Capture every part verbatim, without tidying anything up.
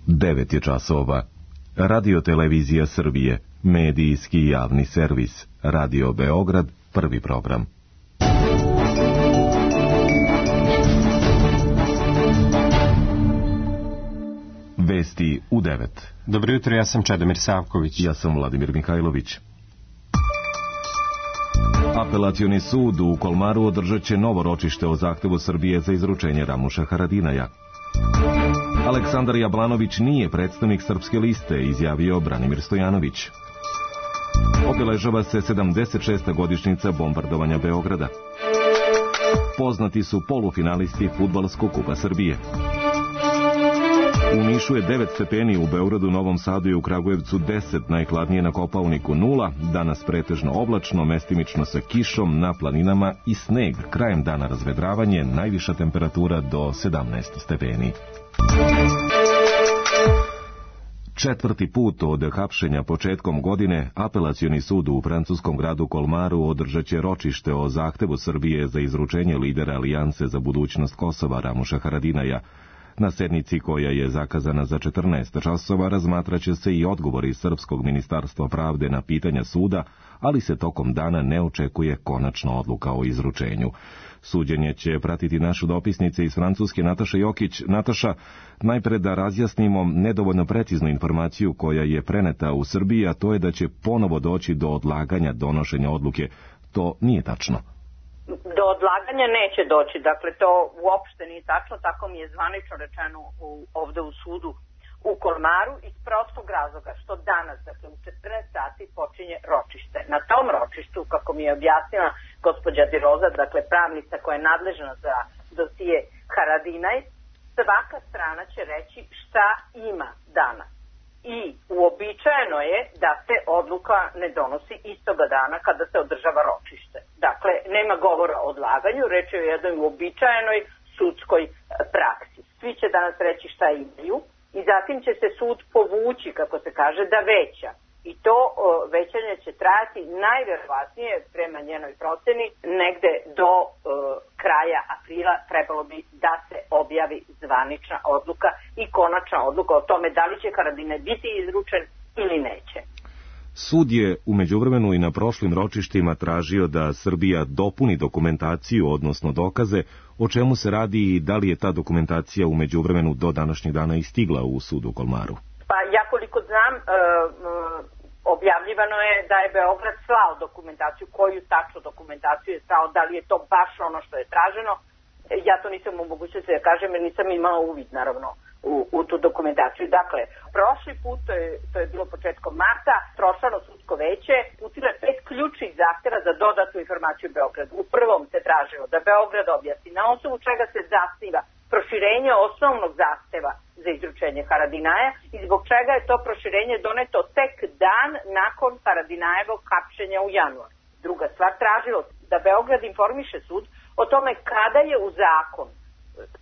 devet je časova. Radio Televizija Srbije, medijski javni servis, Radio Beograd, prvi program. Vesti u devet. Dobro jutro, ja sam Čedomir Savković. Ja sam Vladimir Mihajlović. Apelacioni sud u Kolmaru održat će novo ročište o zahtevu Srbije za izručenje Ramuša Haradinaja. Aleksandar Jablanović nije predstavnik Srpske liste, izjavio Branimir Stojanović. Obeležava se sedamdeset šesta godišnjica bombardovanja Beograda. Poznati su polufinalisti Fudbalskog kupa Srbije. U Nišu je devet stepeni, u Beogradu, Novom Sadu i u Kragujevcu deset, najhladnije na Kopaoniku nula, danas pretežno oblačno, mestimično sa kišom, na planinama i sneg, krajem dana razvedravanje, najviša temperatura do sedamnaest stepeni. Četvrti put od hapšenja početkom godine, Apelacioni sud u francuskom gradu Kolmaru održat će ročište o zahtevu Srbije za izručenje lidera Alijanse za budućnost Kosova Ramuša Haradinaja. Na sednici, koja je zakazana za četrnaest časova, razmatraće se i odgovori Srpskog ministarstva pravde na pitanja suda, ali se tokom dana ne očekuje konačna odluka o izručenju. Suđenje će pratiti našu dopisnice iz Francuske Nataša Jokić. Nataša, najpre da razjasnimo nedovoljno preciznu informaciju koja je preneta u Srbiji, a to je da će ponovo doći do odlaganja donošenja odluke. To nije tačno. Do odlaganja neće doći, dakle to uopšte nije tačno, tako mi je zvanično rečeno u, ovde u sudu u Kolmaru, iz prostog razloga što danas, dakle u četrnaest sati počinje ročište. Na tom ročištu, kako mi je objasnila gospođa Diroza, dakle pravnica koja je nadležna za dosije Haradinaj, svaka strana će reći šta ima danas. I uobičajeno je da se odluka ne donosi istoga dana kada se održava ročište. Dakle, nema govora o odlaganju, reč je o jednoj uobičajenoj sudskoj praksi. Svi će danas reći šta imaju i zatim će se sud povući, kako se kaže, da veća. I to o, većanje će trajati najverovatnije, prema njenoj proceni, negde do o, kraja aprila trebalo bi da se objavi zvanična odluka i konačna odluka o tome da li će Haradinaj biti izručen ili neće. Sud je u međuvremenu i na prošlim ročištima tražio da Srbija dopuni dokumentaciju, odnosno dokaze, o čemu se radi i da li je ta dokumentacija u međuvremenu do današnjeg dana i stigla u sudu u Kolmaru. Pa ja koliko znam, e, objavljivano je da je Beograd slao dokumentaciju. Koju tačno dokumentaciju je slao, da li je to baš ono što je traženo, ja to nisam u mogućnosti da kažem jer nisam imala uvid naravno u, u tu dokumentaciju. Dakle, prošli put, to je, to je bilo početkom marta, prošlo sudsko veće uputilo je pet ključnih zahteva za dodatnu informaciju Beogradu. U prvom se tražilo da Beograd objasni na osnovu čega se zasniva proširenje osnovnog zahteva za izručenje Haradinaja i zbog čega je to proširenje doneto tek dan nakon Haradinajevog hapšenja u januaru. Druga stvar, tražilo da Beograd informiše sud o tome kada je u zakon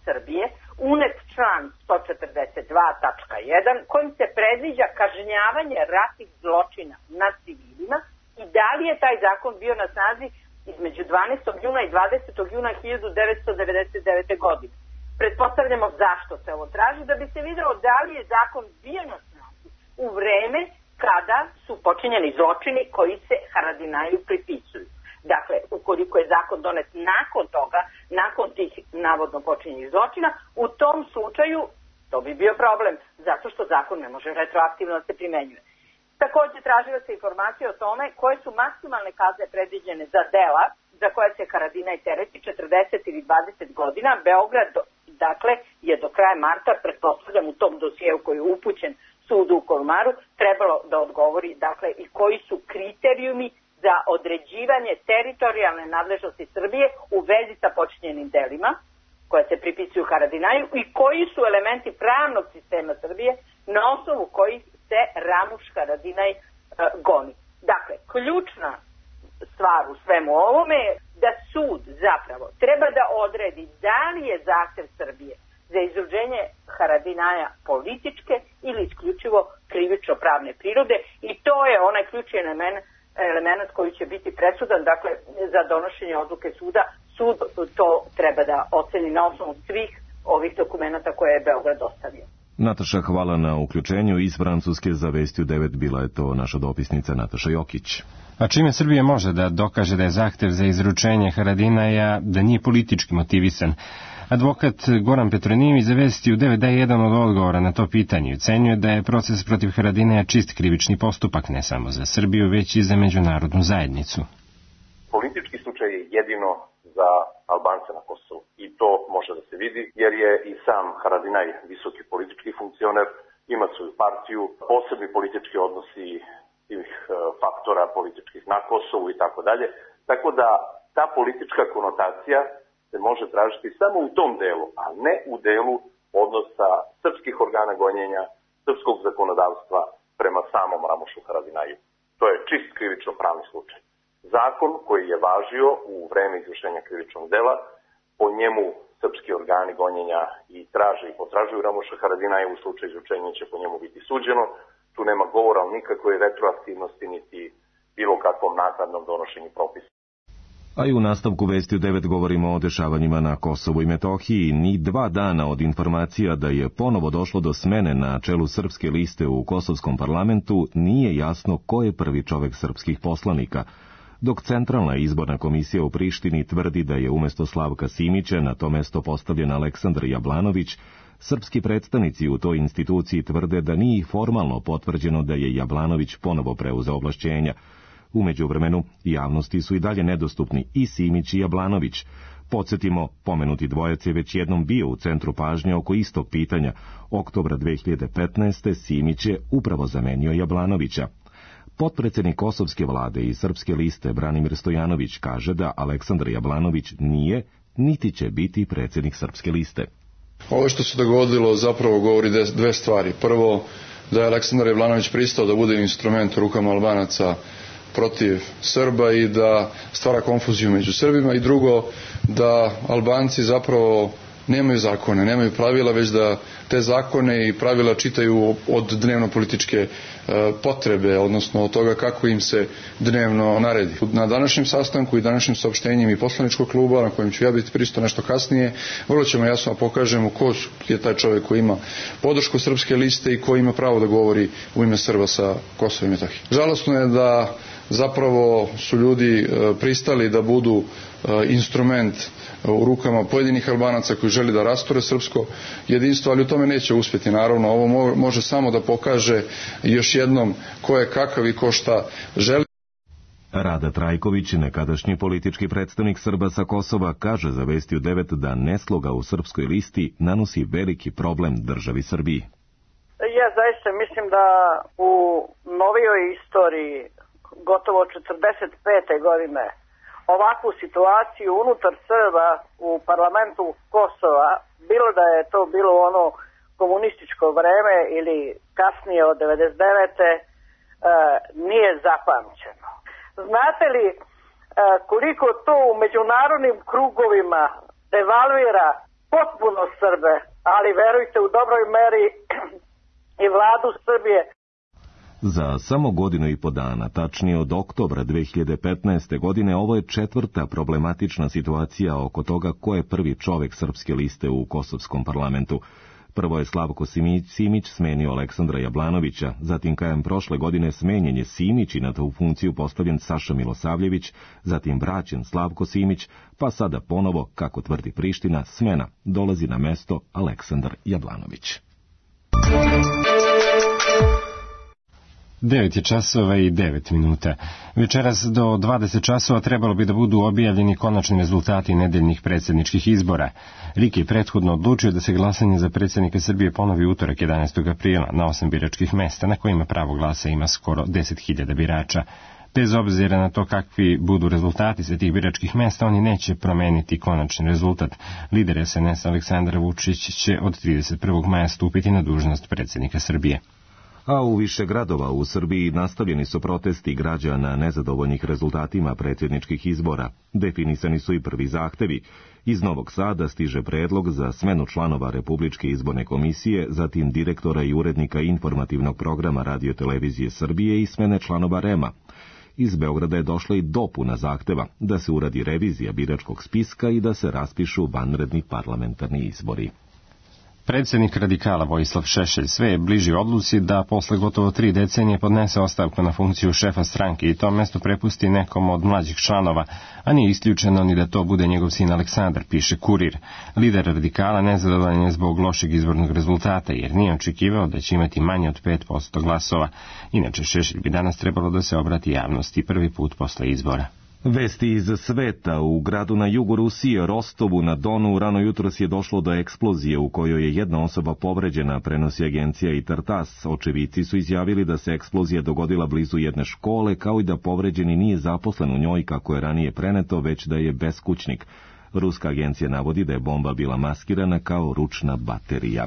Srbije unet član sto četrdeset dva tačka jedan kojim se predviđa kažnjavanje ratnih zločina nad civilima i da li je taj zakon bio na snazi između dvanaestog juna i dvadesetog juna hiljadu devetsto devedeset devete. godine. Pretpostavljamo zašto se ovo traži, da bi se videlo da li je zakon bio na snazi u vreme kada su počinjeni zločini koji se Haradinaju pripisuju. Dakle, ukoliko je zakon donet nakon toga, nakon tih navodno počinjenih zločina, u tom slučaju to bi bio problem, zato što zakon ne može retroaktivno da se primenjuje. Takođe, tražila se informacija o tome koje su maksimalne kazne predviđene za dela za koje se Haradinaj tereti četrdeset ili dvadeset godina. Beograd, dakle, je do kraja marta, pretpostavljam u tom dosijeu koji je upućen sudu u Kolmaru, trebalo da odgovori, dakle, i koji su kriterijumi za određivanje teritorijalne nadležnosti Srbije u vezi sa počinjenim delima koje se pripisuju Haradinaju i koji su elementi pravnog sistema Srbije na osnovu kojih se Ramuš Haradinaj e, goni. Dakle, ključna stvar u svemu ovome je da sud zapravo treba da odredi da li je zahtev Srbije za izručenje Haradinaja političke ili isključivo krivično-pravne prirode i to je onaj ključni element, element koji će biti presudan, dakle, za donošenje odluke suda. Sud to treba da oceni na osnovu svih ovih dokumenta koje je Beograd dostavio. Nataša, hvala na uključenju. Iz Francuske za Vesti u devet bila je to naša dopisnica Nataša Jokić. A čime Srbija može da dokaže da je zahtev za izručenje Haradinaja da nije politički motivisan? Advokat Goran Petronijević za Vesti u devet daje jedan od odgovora na to pitanje i ocenjuje da je proces protiv Haradinaja čist krivični postupak ne samo za Srbiju, već i za međunarodnu zajednicu. Politički slučaj je jedino za Albance na Kosovu i to može da se vidi jer je i sam Haradinaj visoki politički funkcioner, ima svoju partiju, posebni politički odnosi tih faktora političkih na Kosovu i tako dalje. Tako da ta politička konotacija se može tražiti samo u tom delu, a ne u delu odnosa srpskih organa gonjenja, srpskog zakonodavstva prema samom Ramošu Haradinaju. To je čist krivično pravni slučaj. Zakon koji je važio u vreme izvršenja krivičnog dela, po njemu srpski organi gonjenja i traže i potražuju Ramoša Haradinaja, u slučaju izručenja će po njemu biti suđeno. Tu nema govora o nikakvoj retroaktivnosti niti bilo kakvom naknadnom donošenju propisa. A i u nastavku Vesti u devet govorimo o dešavanjima na Kosovu i Metohiji. Ni dva dana od informacija da je ponovo došlo do smene na čelu srpske liste u kosovskom parlamentu nije jasno ko je prvi čovek srpskih poslanika, dok Centralna izborna komisija u Prištini tvrdi da je umesto Slavka Simića na to mesto postavljen Aleksandar Jablanović. Srpski predstavnici u toj instituciji tvrde da nije formalno potvrđeno da je Jablanović ponovo preuzeo ovlašćenja. U međuvremenu, javnosti su i dalje nedostupni i Simić i Jablanović. Podsjetimo, pomenuti dvojac je već jednom bio u centru pažnje oko istog pitanja. Oktobra dve hiljade petnaeste. Simić je upravo zamenio Jablanovića. Potpredsednik kosovske vlade i srpske liste Branimir Stojanović kaže da Aleksandar Jablanović nije, niti će biti predsjednik srpske liste. Ovo što se dogodilo zapravo govori dve stvari. Prvo, da je Aleksandar Jablanović pristao da bude instrument u rukama Albanaca protiv Srba i da stvara konfuziju među Srbima, i drugo, da Albanci zapravo nemaju zakone, nemaju pravila, već da te zakone i pravila čitaju od dnevno-političke potrebe, odnosno od toga kako im se dnevno naredi. Na današnjem sastanku i današnjim saopštenjem i poslaničkog kluba, na kojem ću ja biti prisutan nešto kasnije, vrlo ćemo jasno pokažemo ko je taj čovjek koji ima podršku srpske liste i ko ima pravo da govori u ime Srba sa Kosova i Metohije. Žalosno je da zapravo su ljudi pristali da budu instrument u rukama pojedinih Albanaca koji želi da rasture srpsko jedinstvo, ali u tome neće uspjeti. Naravno, ovo može samo da pokaže još jednom ko je kakav i ko šta želi. Rada Trajković, nekadašnji politički predstavnik Srba sa Kosova, kaže za Vesti u devet da nesloga u srpskoj listi nanosi veliki problem državi Srbiji. Ja zaista mislim da u novijoj istoriji gotovo četrdeset pete godine ovakvu situaciju unutar Srba u parlamentu Kosova, bilo da je to bilo ono komunističko vreme ili kasnije od devedeset devete. nije zapamćeno. Znate li koliko to u međunarodnim krugovima devalvira potpuno Srbe, ali verujte u dobroj meri i vladu Srbije. Za samo godinu i po dana, tačnije od oktobra dve hiljade petnaeste. godine, ovo je četvrta problematična situacija oko toga ko je prvi čovek srpske liste u kosovskom parlamentu. Prvo je Slavko Simić smenio Aleksandra Jablanovića, zatim krajem prošle godine smenjen je Simić i na tu funkciju postavljen Saša Milosavljević, zatim vraćen Slavko Simić, pa sada ponovo, kako tvrdi Priština, smena, dolazi na mesto Aleksandar Jablanović. devet je časova i devet minuta. Večeras do dvadeset časova trebalo bi da budu objavljeni konačni rezultati nedeljnih predsjedničkih izbora. RIK je prethodno odlučio da se glasanje za predsjednika Srbije ponovi utorak jedanaestog aprila na osam biračkih mesta, na kojima pravo glasa ima skoro deset hiljada birača. Bez obzira na to kakvi budu rezultati sa tih biračkih mesta, oni neće promeniti konačni rezultat. Lider es en es Aleksandar Vučić će od trideset prvog maja stupiti na dužnost predsjednika Srbije. A u više gradova u Srbiji nastavljeni su protesti građana nezadovoljnih rezultatima predsjedničkih izbora. Definisani su i prvi zahtevi. Iz Novog Sada stiže predlog za smenu članova Republičke izborne komisije, zatim direktora i urednika informativnog programa Radio-televizije Srbije i smene članova REM-a. Iz Beograda je došla i dopuna zahteva da se uradi revizija biračkog spiska i da se raspišu vanredni parlamentarni izbori. Predsjednik radikala Vojislav Šešelj sve je bliži odluci da posle gotovo tri decenije podnese ostavku na funkciju šefa stranke i to mesto prepusti nekom od mlađih članova, a nije isključeno ni da to bude njegov sin Aleksandar, piše Kurir. Lider radikala nezadovoljan je zbog lošeg izbornog rezultata, jer nije očekivao da će imati manje od pet posto glasova. Inače, Šešelj bi danas trebalo da se obrati javnosti prvi put posle izbora. Vesti iz sveta. U gradu na jugu Rusije, Rostovu na Donu, rano jutros je došlo do eksplozije u kojoj je jedna osoba povređena, prenosi agencija i Tartas. Očevici su izjavili da se eksplozija dogodila blizu jedne škole, kao i da povređeni nije zaposlen u njoj kako je ranije preneto, već da je beskućnik. Ruska agencija navodi da je bomba bila maskirana kao ručna baterija.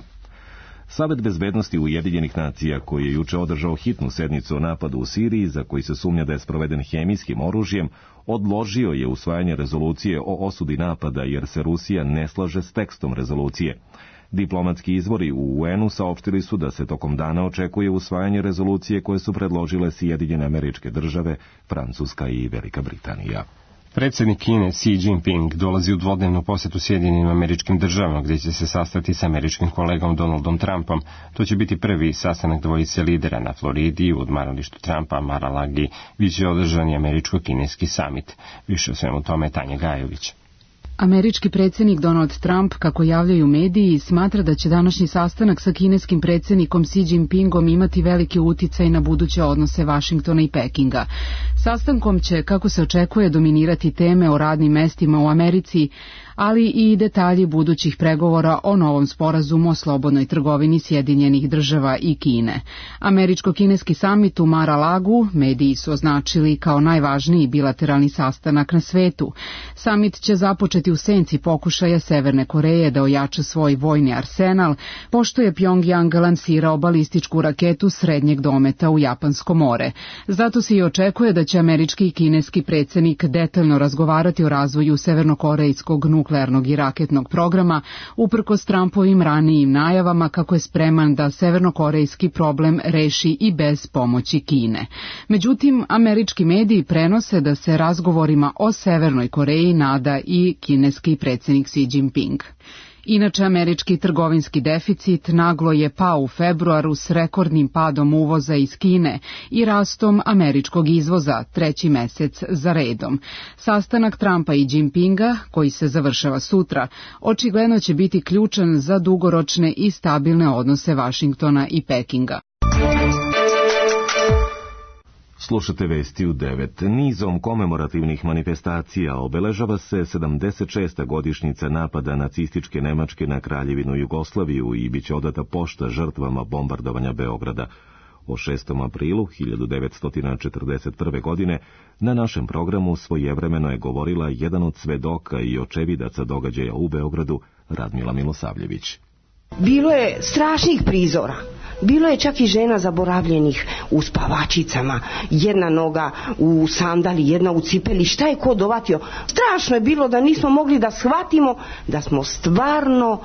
Savet bezbednosti Ujedinjenih nacija, koji je juče održao hitnu sednicu o napadu u Siriji, za koji se sumnja da je sproveden hemijskim oružjem, odložio je usvajanje rezolucije o osudi napada jer se Rusija ne slaže s tekstom rezolucije. Diplomatski izvori u U N-u saopštili su da se tokom dana očekuje usvajanje rezolucije koje su predložile Sjedinjene Američke Države, Francuska i Velika Britanija. Predsjednik Kine Xi Jinping dolazi u dvodnevnu posetu Sjedinjenim Američkim Državama, gdje će se sastati sa američkim kolegom Donaldom Trumpom. To će biti prvi sastanak dvojice lidera na Floridi, u odmaralištu Trumpa, Mar-a-Lagi, biće održan i američko-kineski samit. Više o svemu tome Tanja Gajović. Američki predsjednik Donald Trump, kako javljaju mediji, smatra da će današnji sastanak sa kineskim predsjednikom Xi Jinpingom imati veliki uticaj na buduće odnose Vašingtona i Pekinga. Sastankom će, kako se očekuje, dominirati teme o radnim mestima u Americi, ali i detalji budućih pregovora o novom sporazumu o slobodnoj trgovini Sjedinjenih Država i Kine. Američko-kineski samit u Mar-a-Lagu mediji su označili kao najvažniji bilateralni sastanak na svetu. Samit će započeti u senci pokušaja Severne Koreje da ojača svoj vojni arsenal, pošto je Pjongjang lansirao balističku raketu srednjeg dometa u Japansko more. Zato se i očekuje da će američki i kineski predsjednik detaljno razgovarati o razvoju severnokorejskog nuklearnog i raketnog programa, uprkos Trumpovim ranijim najavama kako je spreman da severnokorejski problem reši i bez pomoći Kine. Međutim, američki mediji prenose da se razgovorima o Severnoj Koreji nada i kineski predsjednik Xi Jinping. Inače, američki trgovinski deficit naglo je pao u februaru s rekordnim padom uvoza iz Kine i rastom američkog izvoza treći mesec za redom. Sastanak Trumpa i Jinpinga, koji se završava sutra, očigledno će biti ključan za dugoročne i stabilne odnose Vašingtona i Pekinga. Slušate vesti u devet. Nizom komemorativnih manifestacija obeležava se sedamdeset šesta godišnjica napada nacističke Nemačke na Kraljevinu Jugoslaviju i biće odata pošta žrtvama bombardovanja Beograda. O šestom aprilu hiljadu devetsto četrdeset prve. godine na našem programu svojevremeno je govorila jedan od svedoka i očevidaca događaja u Beogradu, Radmila Milosavljević. Bilo je strašnih prizora. Bilo je čak i žena zaboravljenih u spavačicama, jedna noga u sandali, jedna u cipeli, šta je ko dovatio. Strašno je bilo da nismo mogli da shvatimo da smo stvarno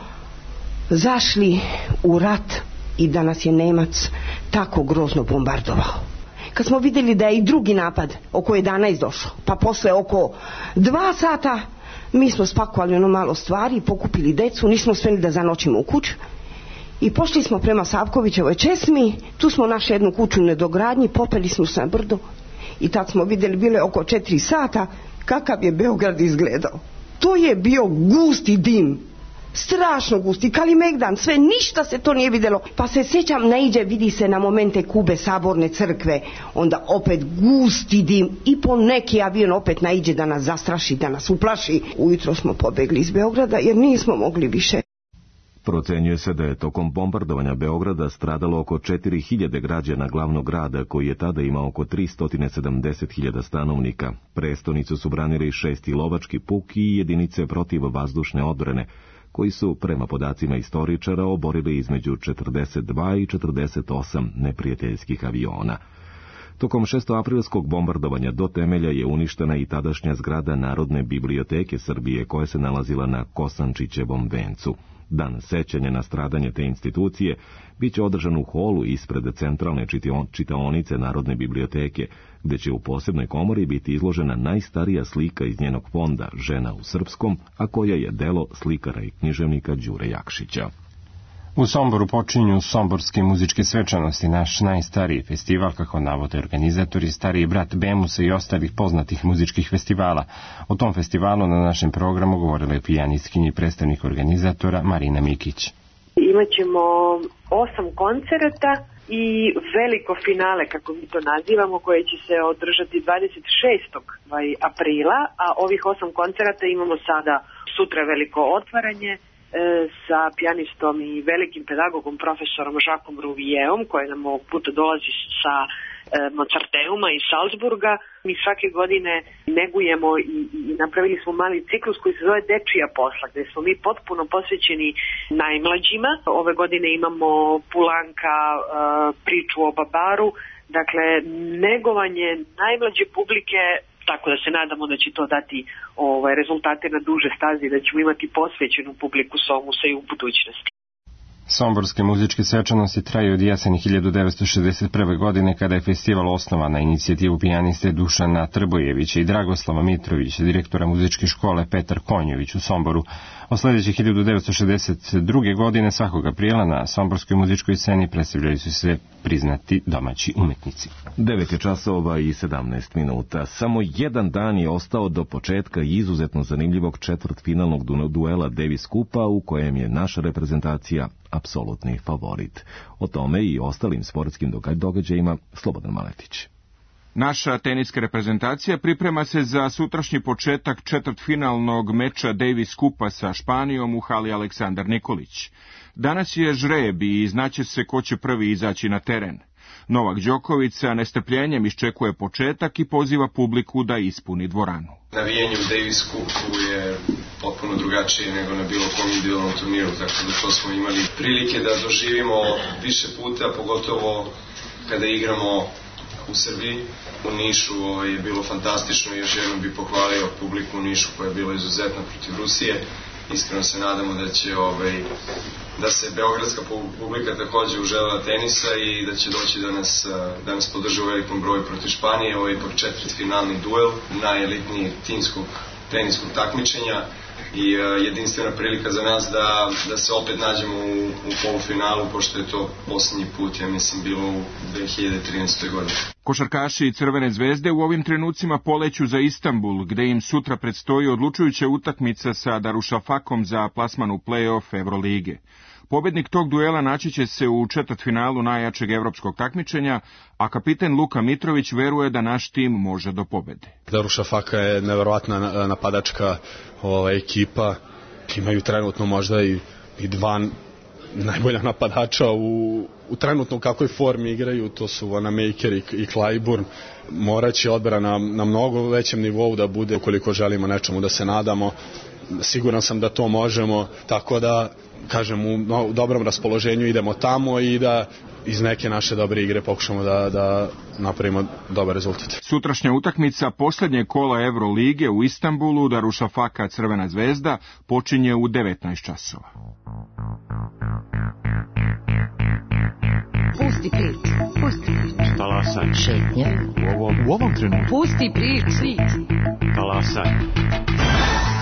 zašli u rat i da nas je Nemac tako grozno bombardovao. Kad smo vidjeli da je i drugi napad oko jedanaest došao, pa posle oko dva sata mi smo spakovali ono malo stvari, pokupili decu, nismo smjeli da zanoćimo u kuću. I pošli smo prema Savkovićevoj česmi, tu smo našli jednu kuću u nedogradnji, popeli smo se na brdo i tad smo vidjeli, bile oko četiri sata, kakav je Beograd izgledao. To je bio gusti dim, strašno gusti, Kalimegdan, sve, ništa se to nije vidjelo. Pa se sjećam, naiđe, vidi se na momente Kube, Saborne crkve, onda opet gusti dim i po neki avion opet naiđe da nas zastraši, da nas uplaši. Ujutro smo pobegli iz Beograda jer nismo mogli više. Procenjuje se da je tokom bombardovanja Beograda stradalo oko četiri hiljade građana glavnog grada, koji je tada imao oko tristo sedamdeset hiljada stanovnika. Prestonicu su branili šesti lovački puk i jedinice protiv vazdušne odbrane, koji su, prema podacima istoričara, oborili između četrdeset dva i četrdeset osam neprijateljskih aviona. Tokom šestoaprilskog bombardovanja do temelja je uništena i tadašnja zgrada Narodne biblioteke Srbije, koja se nalazila na Kosančićevom vencu. Dan sećanja na stradanje te institucije biće održan u holu ispred centralne čitaonice Narodne biblioteke, gde će u posebnoj komori biti izložena najstarija slika iz njenog fonda, Žena u srpskom, a koja je delo slikara i književnika Đure Jakšića. U Somboru počinju Somborske muzičke svečanosti, naš najstariji festival, kako navode organizatori, stariji brat Bemusa i ostalih poznatih muzičkih festivala. O tom festivalu na našem programu govorila je pijanistkinja i predstavnik organizatora Marina Mikić. Imaćemo osam koncerata i veliko finale, kako mi to nazivamo, koje će se održati dvadeset šestog aprila, a ovih osam koncerata imamo sada sutra veliko otvaranje sa pijanistom i velikim pedagogom profesorom Žakom Ruvijeom, koji nam ovog puta dolazi sa Mozarteuma iz Salzburga. Mi svake godine negujemo i, i napravili smo mali ciklus koji se zove Dečija posla, gde smo mi potpuno posvećeni najmlađima. Ove godine imamo Pulanka, priču o Babaru, dakle negovanje najmlađe publike, tako da se nadamo da će to dati ovaj, rezultate na duže stazi, da ćemo imati posvećenu publiku Somusa i u budućnosti. Somborske muzičke svečanosti traju od jeseni hiljadu devetsto šezdeset prve. godine, kada je festival osnovan na inicijativu pijaniste Dušana Trbojevića i Dragoslava Mitrovića, direktora muzičke škole Petar Konjović u Somboru. Od sledeće hiljadu devetsto šezdeset druge. godine svakog aprila na somborskoj muzičkoj sceni predstavljaju su se priznati domaći umetnici. devet je časova i sedamnaest minuta. Samo jedan dan je ostao do početka izuzetno zanimljivog četvrtfinalnog duela Davis Cupa, u kojem je naša reprezentacija apsolutni favorit. O tome i ostalim sportskim događajima Slobodan Maletić. Naša teniska reprezentacija priprema se za sutrašnji početak četvrtfinalnog meča Davis Cupa sa Španijom u hali Aleksandar Nikolić. Danas je žreb i znaće se ko će prvi izaći na teren. Novak Đoković sa nestrpljenjem iščekuje početak i poziva publiku da ispuni dvoranu. Navijanje u Davis Cupu je potpuno drugačije nego na bilo kom individualnom turniru, tako da to smo imali prilike da doživimo više puta, pogotovo kada igramo u Srbiji. U Nišu je bilo fantastično i još jednom bih pohvalio publiku u Nišu koja je bila izuzetna protiv Rusije. Iskreno se nadamo da će ovaj, da se beogradska publika takođe uželjela tenisa i da će doći da nas, da nas podrže u velikom broju protiv Španije. Ovo je ipak četvrtfinalni duel najelitnijeg timskog teniskog takmičenja i jedinstvena prilika za nas da, da se opet nađemo u, u polufinalu, pošto je to posljednji put, ja mislim, bilo u dve hiljade trinaestoj. godini. Košarkaši Crvene zvezde u ovim trenucima poleću za Istanbul, gde im sutra predstoji odlučujuća utakmica sa Darušafakom za plasman u play-off Evrolige. Pobednik tog duela naći će se u četvrtfinalu najjačeg evropskog takmičenja, a kapiten Luka Mitrović veruje da naš tim može do pobede. Darušafaka je neverovatna napadačka ova, ekipa. Imaju trenutno možda i, i dva najbolja napadača u, u trenutno u kakvoj formi igraju, to su Vanamaker i, i Clyburn. Moraće odbrana na, na mnogo većem nivou da bude ukoliko želimo nečemu da se nadamo. Siguran sam da to možemo, tako da kažem u, no, u dobrom raspoloženju idemo tamo i da iz neke naše dobre igre pokušamo da, da napravimo dobar rezultat. Sutrašnja utakmica poslednje kola Evrolige u Istanbulu, Darušafaka Crvena zvezda, počinje u devetnaest časova. Pusti prič, pusti prič. Talasaj. Šetnje. U ovom, u ovom trenutku. Pusti prič, svit. Talasaj.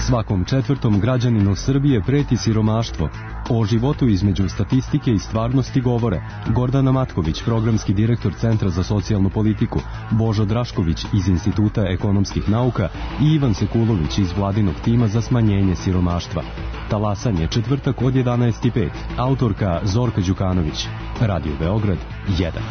Svakom četvrtom građaninu Srbije preti siromaštvo. O životu između statistike i stvarnosti govore Gordana Matković, programski direktor Centra za socijalnu politiku, Božo Drašković iz Instituta ekonomskih nauka i Ivan Sekulović iz vladinog tima za smanjenje siromaštva. Talasanje, četvrtak od jedanaest i pet. Autorka Zorka Đukanović. Radio Beograd jedan.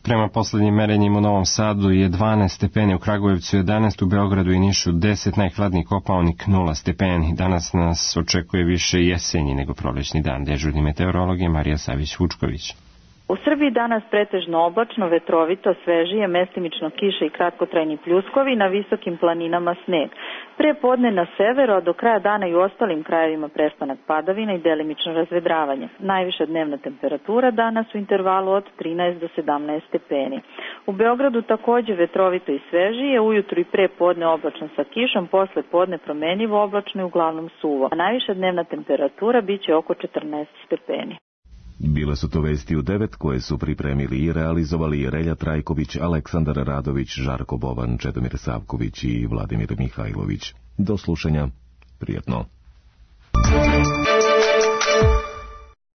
Prema poslednjim merenjima u Novom Sadu je dvanaest stepeni, u Kragujevcu jedanaest, u Beogradu i Nišu deset, najhladniji Kopaonik nula stepeni. Danas nas očekuje više jesenji nego prolećni dan. Dežurni meteorolog je Marija Savić-Vučković. U Srbiji danas pretežno oblačno, vetrovito, svežije, mestimično kiše i kratkotrajni pljuskovi, na visokim planinama sneg. Pre podne na severu, a do kraja dana i u ostalim krajevima prestanak padavina i delimično razvedravanje. Najviša dnevna temperatura danas u intervalu od trinaest do sedamnaest stepeni. U Beogradu takođe vetrovito i svežije, ujutru i pre podne oblačno sa kišom, posle podne promenljivo oblačno i uglavnom suvo. A najviša dnevna temperatura biće oko četrnaest stepeni. Bile su to vesti u devet koje su pripremili i realizovali Relja Trajković, Aleksandar Radović, Žarko Bovan, Čedomir Savković i Vladimir Mihajlović. Do slušanja. Prijetno.